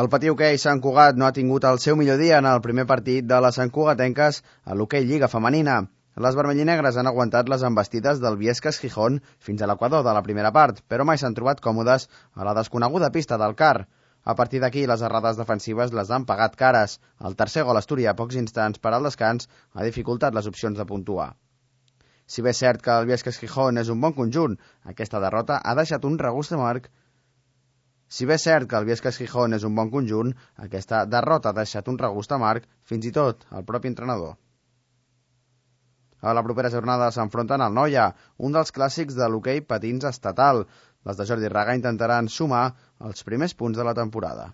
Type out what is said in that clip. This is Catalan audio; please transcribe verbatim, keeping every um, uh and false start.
El Patí Hoquei Sant Cugat no ha tingut el seu millor dia en el primer partit de les santcugatenques a l'Hoquei Lliga Femenina. Les vermellinegres han aguantat les embestides del Viescas Gijón fins a l'equador de la primera part, però mai s'han trobat còmodes a la desconeguda pista del Car. A partir d'aquí, les errades defensives les han pagat cares. El tercer gol asturià a pocs instants per al descans ha dificultat les opcions de puntuar. Si bé és cert que el Viescas Gijón és un bon conjunt, aquesta derrota ha deixat un regust amarg Si bé és cert que el Viescas Gijón és un bon conjunt, aquesta derrota ha deixat un regust amarg fins i tot al propi entrenador. A la propera jornada s'enfronten al Noia, un dels clàssics de l'hoquei patins estatal. Les de Jordi Raga intentaran sumar els primers punts de la temporada.